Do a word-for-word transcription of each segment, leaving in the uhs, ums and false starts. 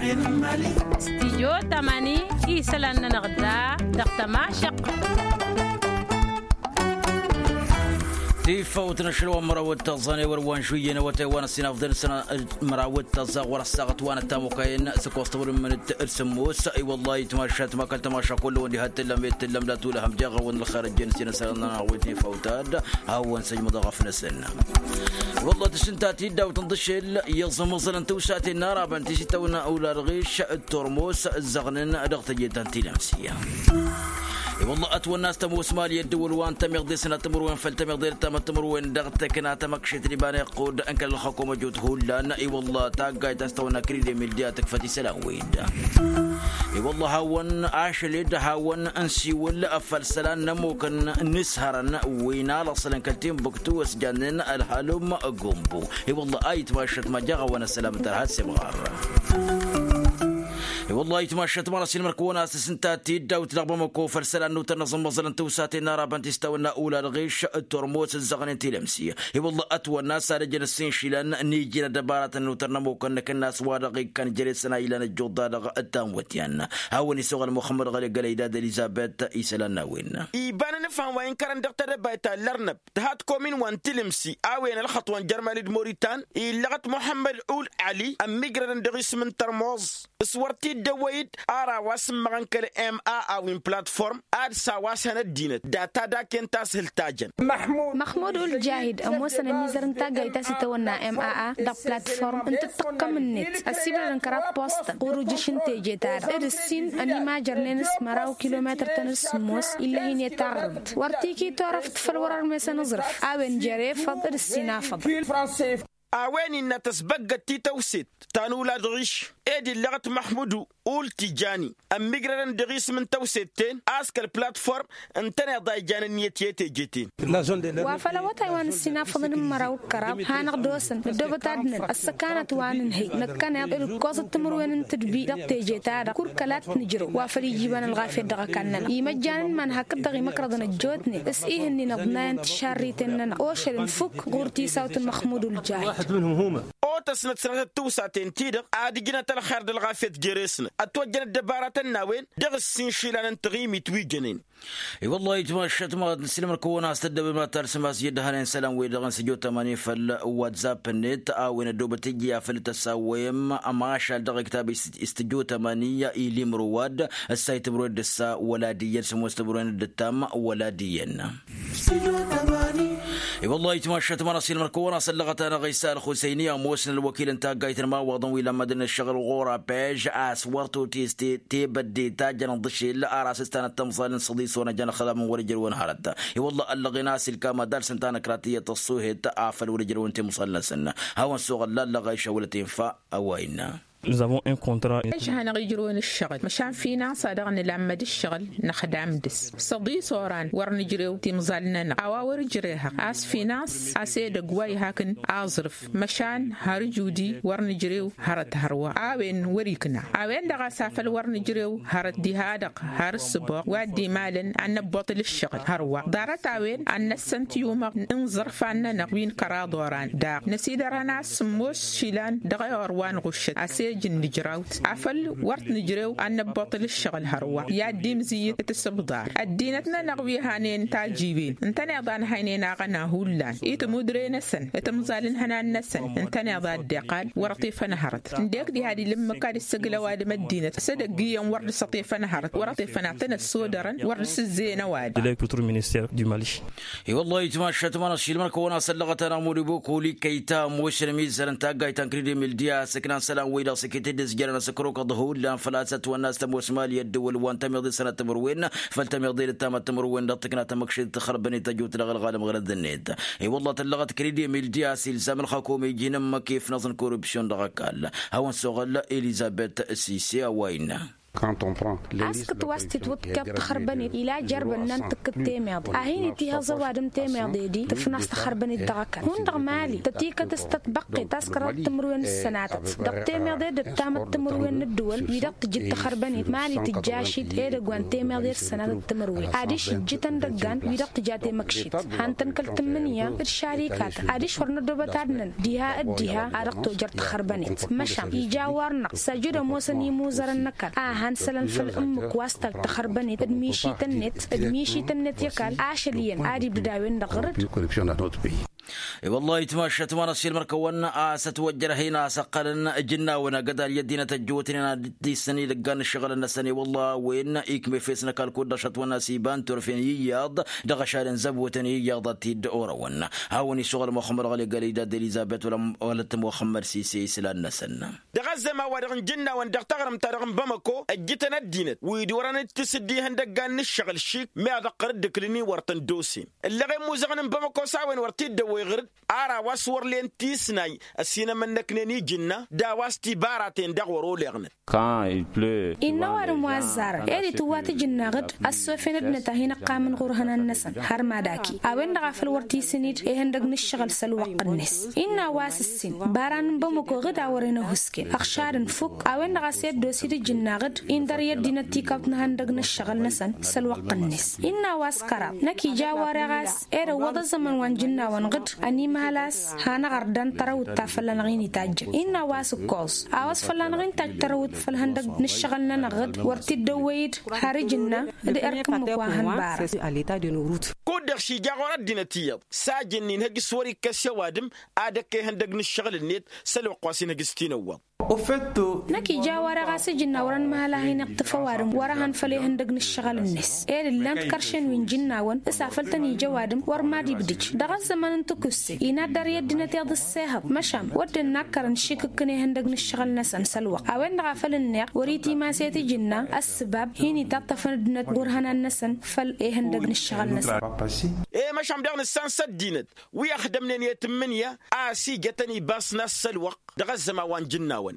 Studyo tamani isălan-nănăɣ da dăɣ-tămašăq. Tifawt n-ašăl wa n-măraw d-taẓẓan i-wăr wa n-žuyyen awătay wa n-ăssinafḍen sănăt măraw d-taẓẓa ɣur-ăssaɣăt wa n-ăttamukăyăn s-ăkkoẓ tăwăr n-imǝnǝt d-sǝmmos. I-wăllah itmašat ma kăl-tămaša kullu-wăn diha t-tǝllăm i t-tǝllăm d-atulăhăm jeɣ-awăn ălxer ăjjăn s-inăsălăn n-anăɣ wi t-nifawtad. Hawăn-săjmăḍ aɣăf-năsăn. I-wăllah tǝšǝnta tiddaw tǝnḍǝšel i-iẓǝmẓălăn tǝwsaten n-arabăn ti s-itawănna ula d-ɣiš d-turmus ǝzzăɣnen dăɣ-teje ta n-tilămsi. I-wăllah ătwănna a-s tămoos mali ăddăwăl wa n-tămiḍe sănat timǝrwen făll-tămiḍe d-tamăt timǝrwen dăɣ-tăkna tamăkšet n-iba n-iqqud n-kăl-ălxăkum ăjut hullan. I-wăllah taggayt a-s tăwănna kridemil di-a tǝkfăt isălan-wed. I-wăllah hawăn-ašăled hawăn-nsiwǝl făll-isălan n-ămmukăn n-ishărăn wi n-alăṣlăn kăl-timbuktu s-jannen ălhalum gumbu. I-wălla a itmašăt ma jaɣ-a-wa n-ăssălam tărha s-imɣar. I-wălla a itmašăt ma n-ăsilmăr-kăwăn a-s tǝsǝnta tiddawt dăɣ-bamăko făll-isălan n-utăn n-aẓǝmmăẓăl n-tiwsaten n-arabăn ti s-tawănna ula d-ɣiš d-turmos ǝzzăɣnen tilămsi. I-wălla ătwănna a-s ad-ăjăn ǝssin išilan n-iji n-ăddăbaratăn n-utăn n-ămmukăn n-akǝnnas wa dăɣ-ikkan jere-săn a ilan ăjjuḍa dăɣ-ăttamwătyan. Hawăn-isoɣăl muxămmăd ɣăli gălăydad ălizabet isălan n-a-wen. Iba n-anǝfham wa inkărăn dăɣ-tedăbayt ta n-lărnăb tǝha tikomin wa n-tilǝmsi a-wen ălxăṭṭ wa n-jărmali d-moritan illăɣăt muḥămmăd ul ăli ămmigrădăn dăɣ-isǝm n-tărmuẓ s-wăr t-dd-ăwwăy-dd. Ara wa s-ǝmmăɣăn kăl-ma a-wi n-platform ad-sawasăn ăddinăt data d-aken ta s-hǝl tajăn. Măxmud ul-jahid ămoosăn ămizăr n-taggayt ta s-itawănna ma a dăɣ-platform n-tǝṭṭăqqăm-net ăsibdădăn kăraḍ postăn ɣur-ujǝš n-teje-ta-dăɣ d-ǝssin ănimajărnen s-măraw kilometăr-tăn d-sǝmmos. Ill'-e-hin i-taɣrǝmt wăr t-iki turăft făll-wăr-ărmesăn aẓrǝf a-wen jer-efăḍ d-ǝssin afăḍăn. A-wen innă tăsbăggăt tităwset ta n-ula d-ɣiš ed illăɣăt măxmudu ul tijani ămmigrădăn dăɣ-isǝm n-tăwset-ten a-s kăl-platform ǝntăneḍ a ijan ǝnniyăt i-teje-ten. Wa făl awătay wa n-ǝssin afăḍăn n-măraw d-kăraḍ hanăɣ-dd-osăn năddoobăt ad-năn ăssăkanăt wa n-ǝnhǝy năkkăneḍ d-ǝkkoẓăt timǝrwen n-tǝdbi dăɣ-teje-ta-dăɣ kur kăla t-nǝjrăw wa făl ijibăn ălɣafyăt dăɣ-ăkall-nănăɣ imăjjan n-iman hakd-dăɣ imăkrăḍăn ăjjootnen s-ihǝnnin ăḍnayăn tišarriten-nănăɣ ošăl n-fukk ɣur-tisawt n-măxmud ul-jahid. Otăsnăt sănatăt tiwsaten-ti-dăɣ ad-ǝjnăt ălxer d-ălɣafyăt jere-snăt ătwăjjăn ăddăbaratăn n-a-wen dăɣ-ǝssin išilan n-taɣimit wi jănen. I-wăllah itmašat ma n-silmăr-kăwăn a-s tăddăbem ad-talsăm a-s i-ăddăhanen isălan-wi-dăɣ n-sǝjo tămani făll-whatsapp-net a-wen ăddoobăt iji afăl tăsawăyăm ămašal dăɣ-iktab istǝjo tămani ilimru wad ǝssa itǝmrwen d-ǝssa wăla d-iyyăn sǝmmos tǝmrwen d-ǝttam wăla d-iyyăn. I-wăllah itmašat ma n-asilmăr-kăwăn a-s ăllăɣăt-anăɣ isa ălxusăyni ămoosăn ălwăkil n-taggayt n-imawaḍăn wi lămmădăn ǝššăɣǝl ɣur-apej a-s wăr totest tebădde ta jăn ǝḍǝšel ar asǝstanăt tămẓal n-săḍis wăn ăjăn ăxlam n-wăr-ǝjrǝwăn hărăt. I-wăllah ăllăɣen a-s ilkam ad-alsăn tanăkrat iyyăt ăṣṣuhet afăl wăr-ǝjrǝwăn timẓal-năsăn. Hawăn-suɣ ăllallăɣ a išăwălăt infa a-wa innă. Nǝzavun inkontra. Ăžhanăɣ ijrǝwăn ǝššăɣǝl măšan finans a dăɣ-nǝlammăd ǝššăɣǝl năxdam dăɣ-s săḍis oran wăr nǝjrew timẓal-nănăɣ a-wa wăr-ǝjrehăɣ a-s finans a-s edăgg wa ihakǝn aẓrǝf măšan har ǝjudi wăr nǝjrew hărăt hărwa a-wen wăr-ikna a-wen-dăɣ a-s afăl wăr nǝjrew hărăt diha-dăɣ har ǝssǝboɣ wa dd-imalăn ad-năbboṭṭǝl ǝššăɣǝl hărwa ḍarăt-a-wen ad-năssăn tiyumăɣ n-iẓărfan-nănăɣ wi n-kăraḍ oran daɣ năsidărhăn a-s sǝmmos išilan dăɣ-ewăr wa n-ɣuššăt a-s ej n-nǝjrawt afăl wăr t-nǝjrew ad-năbboṭṭǝl ǝššăɣǝl hărwa i-ad-dd-imzǝyyǝt tasǝbḍar ăddinăt-nănăɣ wi hanen tajiwen ǝntăneḍ a nǝhăynen aɣăna hullan i-timudre-năsăn timẓal n-ihănan-năsăn ǝntăneḍ a dd-iqqal wăr-ăṭṭifăn hărăt ǝndek diha d-ilǝmmǝk ad-issăgl ăwadǝm ăddinăt s-edăgg iyyăn wăr dd-săṭṭifăn hărăt wăr-ăṭṭifăn ad-tăn-ăssodărăn wăr dd-sǝzzeyăn ăwadǝm. I-wăllah itmašat ma n-ašilmăn kăwăn-asăllăɣăt-anăɣ mudibuk uli kăyta ămoosăn ămizzăr n-taggayt ta n-kridimil di-a ăsǝknan isălan-wi-dăɣ s-iket-dd ǝzjărăn asǝkrukăḍ hullan făl-a-s ătwănna a-s tămoos mali ăddǝwăl wa n-tămiḍe sănat timǝrwen făll-tămiḍe d-ăttamăt timǝrwen dăɣ-tǝkna tamăkšit tăxrăbăn-i tăjut dăɣ-ălɣalăm ɣărăd-net. I-wălla tăllăɣăt kridimil di-a-s ilzam ălxăkum iji n-ǝmmǝk ifnăẓ n-korupsyon dăɣ-ăkall. Hawăn-suɣǝl elizabet sise a-wa innă. Askăt wa s-titwǝḍkăḍ tăxărbănet ila jer-bănnan tǝkkǝd temeḍe a hin-itihăẓ ăwadǝm temeḍe-di tǝfnas tăxărbănet dăɣ-ăkall hundăɣ mali tătikăt s-tătbăqqet ta s-kăraḍăt timǝrwen d-sănatăt dăɣ-temeḍe d-ăttamăt timǝrwen n-ăddǝwăl wi-dăɣ tǝjǝd tăxărbănet mali tǝjjašit edăgg wa n-temeḍe d-sănatăt timǝrwen adiš ǝjjǝtăn dăggan wi-dăɣ tǝja temăkšit han tăn-kăl-tǝmmǝnǝya d-šarikatăn adiš wăr nădobăt ad-năn diha d-diha a dăɣ-tojăr tăxărbănet măšan ija war-năɣ s-ajǝd ămoosăn imuzărăn n-ăkall a han sălăn făll-ǝmmǝk wa s-tăj tăxărbănet d-mišităn-net d-mišităn-net i-ăkall ašăl iyyăn ad-ibdǝd a-wen-dăɣ ɣǝr-dd. I-wăllah itmašat ma n-asil mărkăwăn a-s ătwăjjăr hin-a-s ăqqălăn ijǝnnawăn agădal i-ăddinăt ăjjootnen ad-dd-issăn idăggan n-ǝššăɣǝlăn-năsăn i-wăllah a-wen ikm'-e fesnăkal kud-dăɣ šătwăn a-s iba n-turfen i-iyyăḍ dăɣ-ašal n-zăbotăn i-iyyăḍ ad-t-dd-orăwăn. Hawăn-isuɣăl muxămmăd ɣăli gălăy d-ad-elizăbet wăla t-muxămmăd sise islan-năsăn. Dăɣ-ăzzăman-wa-dăɣ n-ijǝnnawăn dăɣ-taɣrǝmt-ta-dăɣ n-bamăko ăjjǝtăn ăddinăt wi d-orăn d-tisǝddi ihăndăggan n-ǝššăɣǝl šik meɣ dăɣ-tărǝddǝklǝn-in wăr tăn-dd-osen. Ǝllăɣen imuzăɣăn n-bamăko s-a-wen wăr t-dd-ăwwăy ɣǝr-dd ar a-wa s-wăr len tisnay ăsinămănnăknen ijǝnna d-a-wa s-tibaraten daɣ wăr-oleɣnăt. Innă ăwadǝm wa ăzzarăn ed itǝwwa tijǝnnaɣ-dd ăssofen ăddinăt a hin-ǝqqamăn ɣur-ihănan-năsăn har madaki a-wen-dăɣ a făl wăr t-isǝn-dd ihăndăg n-ǝššăɣǝl s-ălwăqq-net. Innă a-wa s-ǝssin baran n-bamăko ɣǝd a wăren ăhuusken ăɣšadăn fukk a-wen-dăɣ a-s i-ăddoosi d-ijǝnnaɣ-dd indăr i-ăddinăt tikawt n-ihăndăg n-ǝššăɣǝl-năsăn s-ălwăqq-net. Innă a-wa s-kăraḍ năkk ija a-wa reɣ a-s ed ăwwăḍ ăzzăman wa n-ijǝnnawăn ɣǝd ănimhăl a-s hanăɣ-ărdan tărăwt ta fălla-năɣ-in itajjăn. Innă a-wa s-ǝkkoẓ a-wa s-fălla-năɣ-in tajj tărăwt făll-ihăndăg n-ǝššăɣǝl-nănăɣ ɣǝd wăr t-dd-ăwwăy-dd har ijǝnna d-erk ǝmmǝk wa hăn bara. Kud-dăɣ šija ɣur-ăddinăt iyyăḍ s-ajǝnna inhăj s-wăr-ikkăs i-ăwadǝm ad-ăkk ihăndăg n-ǝššăɣǝl-net s-ălwăqq wa s-inhăj s-tinăwwaḍ. Năkk ija a-wa dăɣ-a-s ijǝnna wăr-ănmăhăl a hin-iṭṭǝf ăwadǝm wăr-ehăn făll-ihăndăg n-ǝššăɣǝl-net ed ǝllan-t kăršen wi n-ijǝnnawăn s-afăl tăn-ija ăwadǝm wăr mad-ibdǝj. Dăɣ-ăzzăman n-tǝkusse inaddăr i-ăddinăt iyyăḍ ǝssehăḍ măšan wădden nakkărăn šikǝkkǝn ihăndăg n-ǝššăɣǝl-năsăn s-ălwăqq a-wen-dăɣ a făl ǝnneɣ wăr-itimaset ijǝnna ăssǝbab hin-itaṭṭăfăn ăddinăt ɣur-ihănan-năsăn făll-ihăndăg n-ǝššăɣǝl-năsăn. E-măšan daɣ nǝssan s-ăddinăt wi ăxdămnen i-tǝmmǝnǝya a ăsijătăn ibasna s-ălwăqq dăɣ-ăzzăman wa n-ijǝnnawăn.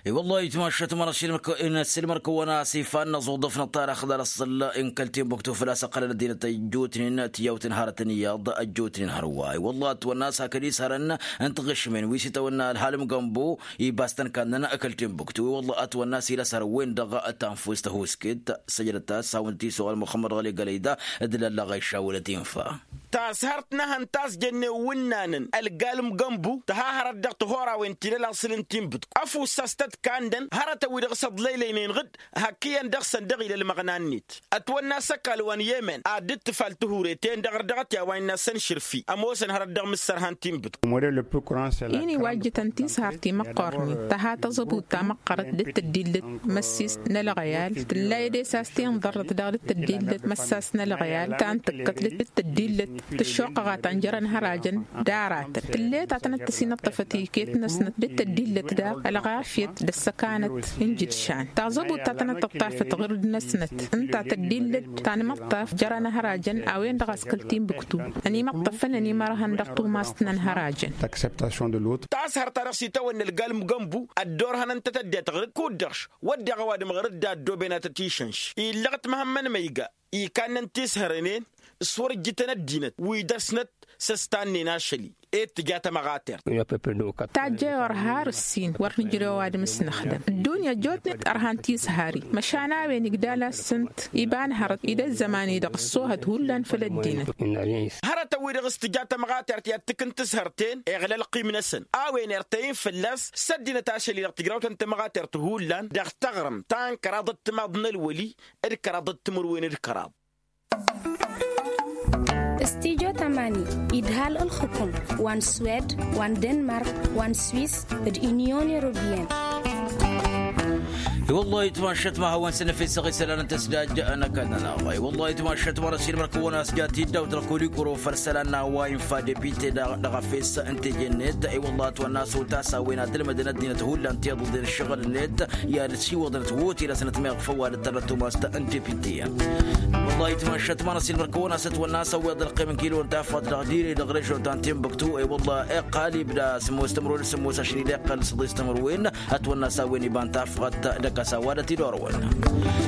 I-wăllah itmašat ma n-asilmăr-kăwăn n-asilmăr-kăwăn a-s ifan n-aẓuḍăf n-ăṭṭarăx ḍarăṣṣăl n-kăl-tinbuktu făl-a-s ăqqălăn ăddinăt ăjjootnen tiyawt n-hărătăn iyyăḍ ăjjootnen hărwa i-wăllah ătwănna a-s hakd-isărăn n-tiɣǝšmen wi s-itawănna ălhalǝm gănbu ibas-tăn kannăn kăl-tinbuktu i-wăllah ătwănna a-s ila s-hărăwwen dăɣ-tanfust ăhuusket. Săjdăt-as hawăn-t-isuɣăl muxămmăd ɣăli gălăyda d-lalla ɣayšawălăt infa. Tashărt n-ehăn ta s-jănnen wǝnnanăn ălgalǝm gănbu tǝha hărăt dăɣ-tihurawen ti n-ălaṣǝl n-tinbǝtku ăfuss a-s tăt-kannăn hărătăn-wi-dăɣ s-ăḍlăylăynen ɣǝd hak iyyăn dăɣ-săn dăɣ-ila ălmăɣna-net. Ătwănna a-s ăkall wa n-yemen ad-dd-tǝfal tihure-ten-dăɣ ărdăɣăt i-a-wa innă a-s ănšǝrfi ămoosăn hărăt dăɣ-mǝssărha n-tinbǝtku. Ini wa ǝjjǝtăn tishărt timăqqornen tǝha taẓăbut tamăqqărăt d-tăddillăt măssis n-ălɣăyal tǝlla edes a-s tinḍărrăt daɣ d-tăddillăt măssas n-ălɣăyal ta n-tǝkkăt d-tăddillăt tǝššoqăɣa ta n-jărăn hărajăn d-aratăn tǝllet ta tănăt-tăsinăṭṭăfăt iket-năsnăt d-tăddillăt daɣ ălɣafyăt d-ăssăkanăt n-jǝdšan taẓăbut ta tănăt-tăṭṭafăt ɣǝr-năsnăt ǝnta tăddillăt ta n-imăṭṭaf jărăn hărajăn a-wen-dăɣ a-s kăl-tinbǝktu ănimăṭṭăfăn ănimărhăn dăɣ-tumast n-ănhărajăn. Tashărt-ta-dăɣ s-itawănna ălgalǝm gănbu ăddoorhăn ǝnta tăddet ɣǝr-dd kud-dăɣ-š wădden ăwadǝm ɣǝr-dd a ăddooben ad-tăt-išănš illăɣ-t măhămmăn măyga. Ikanna n-tishăren-en s-wăr ǝjjǝtăn ăddinăt wi dăr-snăt s-ăstannen ašăl-i ed tǝja tamăɣatert. Tajjăy orha ar ǝssin wăr nǝjrăw ăwadǝm s-năxdăm ăddunya ăjjootnen ărhan tishăr-i măšan a-wen igdal-asǝnt iba n-hărăt ed ăzzăman-i-dăɣ ăṣṣoohăt hullan făll-ăddinăt. Hărătăn-wi-dăɣ s-tǝja tamăɣatert i-ad-tǝkǝn tǝshărten iɣla ălqim-năsăn a-wen irtăyăn fălla-s s-ăddinăt ašăl-i-dăɣ tǝjrawt n-tamăɣatert hullan dăɣ-taɣrǝmt ta n-kăraḍ d-timaḍ n-ălwăli d-kăraḍ d-timǝrwen d-kăraḍ. Stijo tamani idhal ǝlxǝkum wa n-swed wa n-denmark wa n-swis d-inyon europeyăn. I-wăllah itmašăt ma hawăn-săn efes ăɣ-isălan n-tăsdaj n-ăkall-nănăɣ i-wăllah itmašăt ma n-ăsilmăr-kăwăn a-s ja t-dd-awt ălkulikuro făll-isălan n-a-wa infa depite dăɣ-efes n-teje-net. I-wăllah ătwănna a-s otas a-wen ad-ǝlmǝdăn ăddinăt hullan tiḍǝḍen ǝššăɣǝl-net i-ad-ăssiwăḍnăt hotel-asnăt meɣ făw ad-ǝttărrăt tumas ta n-depite. Wăllah itmašăt ma n-ăsilmăr-kăwăn a-s ătwănna a-s ăwweḍ ălqim n-kilo n-tafɣăt dăɣ-dire dăɣ-režion ta n-tinbuktu i-wăllah iqqal ibda sǝmmos timǝrwen d-sǝmmos ašăl-i d-iqqal s-ăḍis timǝrwen. Ătwănna a-s a-wen iba n-tafɣăt Kăsa wadăt idorwăn.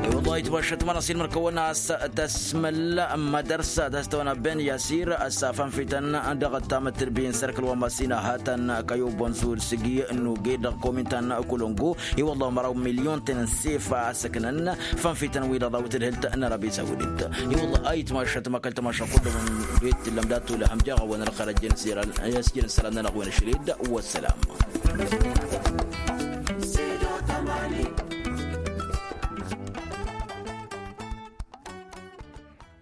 I-wăllah itmašăt mănăsin mărkăwăn a-s tăsmăl mădărsa tăstăwăn a ben yasir a-s afănfităn dăɣ-tamăt tǝlbin sărkăl wa măsina hătăn kăyobăn sul sigi nuge dăɣ-komintan kulungu. I-wăllah măraw milyon tăn-sef a-s ǝknăn fănfităn wi dăɣ-dawit ǝlhǝlt n-arabi sawudit. I-wăllah a itmašăt măkăl tămašăkul d-wăn d-wet tǝllăm dat-tulăhăm jaɣ-wăn ălxărăjjăn s-jărăn s-jărăn s-sălam n-anăɣ-wăn ašăl-ed. Wăssălam.